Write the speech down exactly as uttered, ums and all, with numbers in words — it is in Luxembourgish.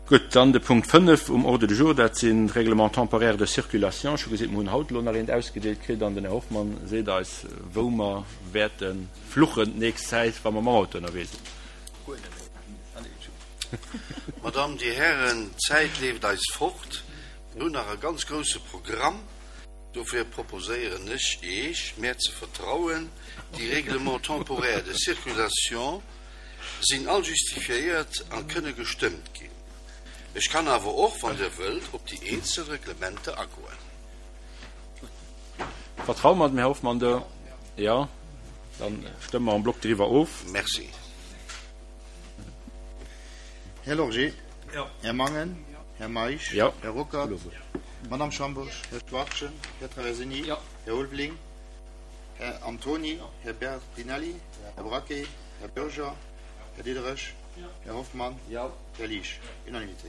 Gutt, dann de Punkt fënnef um Ordre du jour, dat sinn d'Règlements temporaires de circulation. Ech hu gesinn, mer hunn haut elo nach eent ausgedeelt kritt an den Här Hoffmann seet eis, wou mer wäerte fluchen d'nächst Zäit, wa mer mam Auto ënnerwee sinn. Madame, Dir Hären, d'Zäit leeft eis fort. Mir hunn nach e ganz grouse Programm. Dofir proposéieren ech Iech, mär ze vertrauen. Déi Règlements temporaires de circulation sinn all justifiéiert a kënne gestëmmt ginn. Ech kann awer och, wann Dir wëllt, op déi eenzel Reglementer agoen. Vertraue mer dem Här Hoffmann do? Jo? Da stëmme mer en bloc driwwer of. Merci. Här Lorgé. Här Mangen. Här Meisch. Här Ruckert. Madamm Schambourg. Här Schwachtgen. Här Traversini. Här Ulveling. Här Antoni. Här Bertinelli. Här Braquet. Här Bürger. Här Diderich. Här Hoffmann. Här Liesch. Unanimité.